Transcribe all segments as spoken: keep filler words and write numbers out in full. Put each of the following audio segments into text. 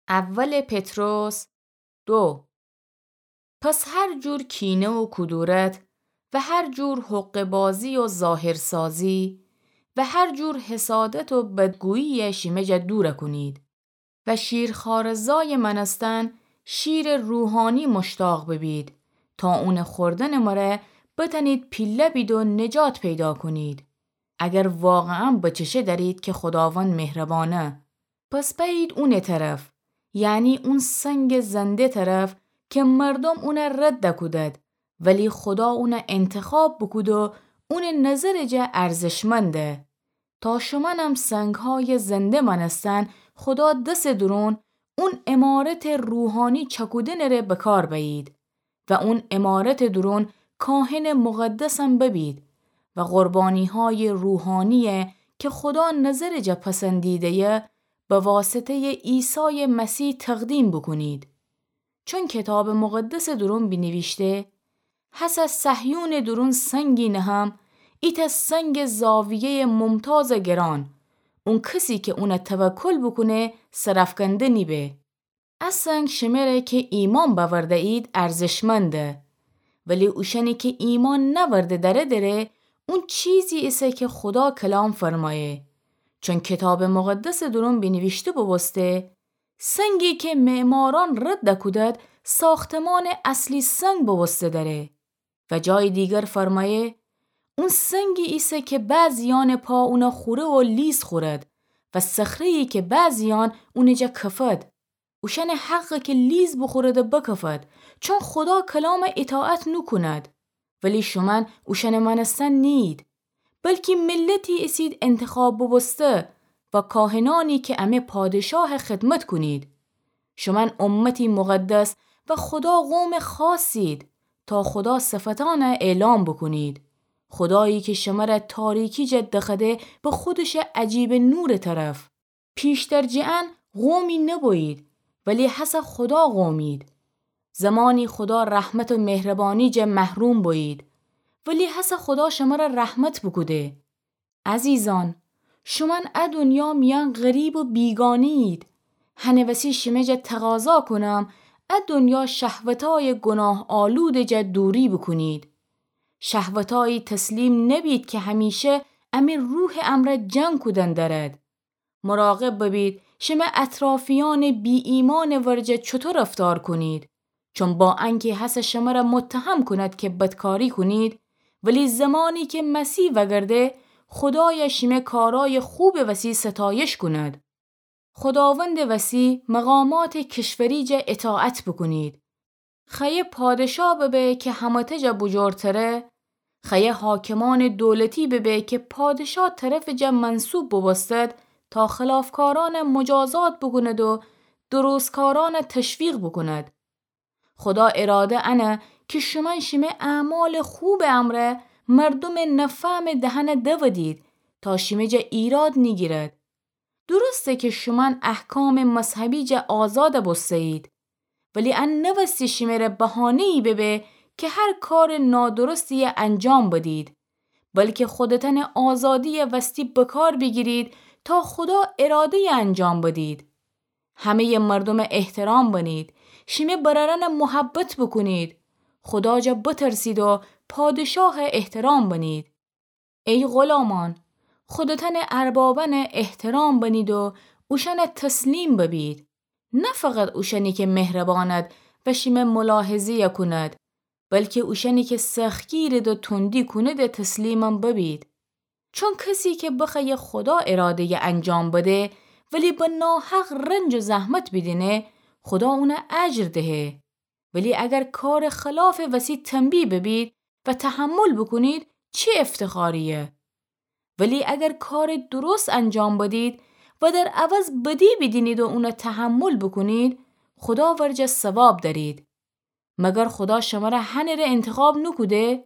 اول پطرس دو. پس هر جور کینه و کدورت و هر جور حقه‌بازی و ظاهرسازی و هر جور حسادت و بدگویی شیمه جا دور کونید و شیرخواره‌زای مأنستن شیر روحانی مشتاق ببید، تا اون خوردن مره بتنید پیله بید و نجات پیدا کونید، اگر واقعاً بچشه دأرید که خداوند مهربانه. پس بأیید اونٚ طرف، یعنی اون سنگٚ زنده طرف که مردوم اون رد کودد، ولی خدا اون انتخاب بوکود و اونٚ نظرٚ جا ارزشمنده. تا شومأنم سنگهای زنده مأنستن خدا دسٚ دورون اون عمارتٚ روحانی چکودنٚ ره بکار بأیید و اون عمارتٚ دورون کاهنٚ مقدسم ببید و قربانیهای روحانیی که خدا نظرٚ جا پسندیده‌یه به واسطه‌یٚ عیسایٚ مسیح تقدیم بوکونید. چون کتابٚ مقدسٚ دورون بینیویشته: هسه صهیونٚ دورون سنگی نهم، ایتأ سنگٚ زاویه‌یٚ ممتازٚ گران، اون کسی که اون توکل بوکونه سرافکنده نیبه. ا سنگ شمره که ایمأن بأورده‌یید ارزشمنده، ولی اوشأنی که ایمأن نأورده دأره دره، اون چیزی ایسه که خدا کلام فرمایه. چون کتابٚ مقدسٚ دورون بینیویشته بوبوسته: سنگی که معمارأن رد کودد، ساختمانٚ اصلی سنگ بوبوسته دره. و جایی دیگر فرمایه: اون سنگی ایسه که بعضیأنٚ پا اون خوره و لیز خورد و صخره‌یی که بعضیأن اونٚ جا کفد. اوشأنٚ حقه که لیز بوخورد و بکفد، چون خدا کلام اطاعت نوکوند. ولی شومأن اوشأنٚ مأنستن نیید، بلکی ملتی ایسید انتخاب بوبوسته و کاهنأنی که امه پادشاه خدمت کونید. شومأن امتی مقدس و خدا قومٚ خاصید، تا خدا صفتأنه اعلام بوکونید. خدایی که شمره تاریکی جا دخوأده به خودشٚ عجیبٚ نورٚ طرف. پیشتر جٚه ان قومی نبویید، ولی هسه خدا قومید. زمانی خدا رحمت و مهربانی جا محروم بویید، ولی هسه خدا شمره رحمت بوکوده. عزیزأن، شومأن ا دنیا میأن غریب و بیگانه‌یید. هنٚ وسی شمه جا تقاضا کونم، ا دنیا شهوتای گناه‌آلوده جا دوری بوکونید. شهوتایی تسلیم نبید که همیشه امه روحٚ امرأ جنگ کودن دأرد. مراقب ببید شمه اطرافیأنٚ بی‌ایمأنٚ ورجه چوطو رفتار کونید، چون با انکه هسه شمره متهم کند که بدکاری کونید، ولی زمانی که مسیح وگرده، خدای شمه کارای خوبٚ وسی ستایش کند. خداوندٚ وسی مقاماتٚ کشوری جا اطاعت بوکونید. خوأیه پادشا ببه که همه‌تأ جا بوجورتره، خوأیه حاکمأنٚ دولتی ببه که پادشا طرفٚ جا منصوب بوبوستد تا خلافکارأنه مجازات بوکوند و درستکارأنه تشویق بوکوند. خدا اراده انه که شومأن شمه اعمالٚ خوبٚ امرأ مردومٚ نفهمٚ دهنه دودید تا شمه جا ایراد نیگیرد. درسته که شومأن احکامٚ مذهبی جا آزاد بوسته‌یید، ولی ان نوستی شمره بهانه‌یی ببه که هر کارٚ نادرستیی انجام بدید، بلکه خودتأنٚ آزادیی وستی بکار بیگیرید تا خدا اراده‌یی انجام بدید. همه‌یٚ مردومه احترام بنید، شیمه برأرأنه محبت بوکونید، خدا جا بترسید و پادشاه احترام بنید. ای غلامأن، خودتأنٚ اربابأنه احترام بنید و اوشأنه تسلیم ببید. نه فقط اوشأنی که مهربأند و شیمه ملاحظه‌یی کوند، بلکه اوشأنی که سختگیرد و تندی کونده تسلیمم ببید. چون کسی که بخوأیه خدا اراده‌یی انجام بده، ولی به ناحق رنج و زحمت بیدینه، خدا اونه اجر دهه. ولی اگر کارٚ خلافٚ وسی تنبیه ببید و تحمل بوکونید، چی افتخارییه؟ ولی اگر کارٚ درست انجام بدید و در عوض بدی بیدینید و اونه تحمل بوکونید، خدا ورجه ثواب دأرید. مگر خدا شمره هنٚ ره انتخاب نوکوده؟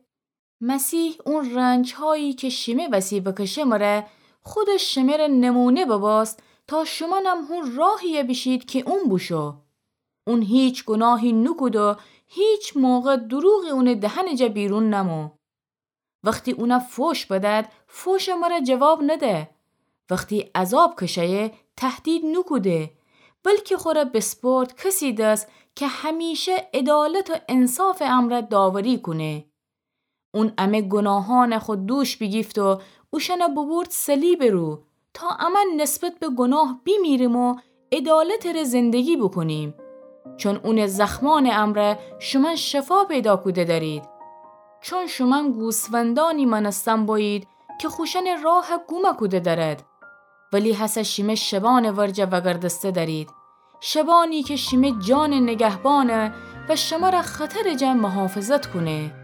مسیح اون رنجهایی که شیمه وسی بکشه مره، خودش شمره نمونه ببوست تا شومأنم هون راهیی بیشید که اون بوشو. اون هیچ گناهی نوکود و هیچ موقع دروغی اونٚ دهنٚ جا بیرون نمو. وختی اونه فوش بدد، فوشٚ مره جواب نده. وختی عذاب کشه‌یه، تهدید نوکوده، بلکی خوره بیسپرد کسی دس کی همیشه عدالت و انصافٚ امرأ داوری کونه. اون امه گوناهأنٚ خو دوش بیگیفت و اوشأنه بوبورد صلیبٚ رو، تا امأن نسبت به گوناه بیمیریم و عدالتٚ ره زندگی بوکونیم. چون اونٚ زخمأنٚ امرأ شومأن شفا پیدا کوده دأرید. چون شومأن گوسفندأنی مأنستن بویید کی خوشأنٚ راه گوم کوده دأرد، ولی هسه شیمه شبأنٚ ورجه وأگردسته دأرید. شبأنی کی شیمه جانٚ نگهبانه و شمره خطرٚ جا محافظت کونه.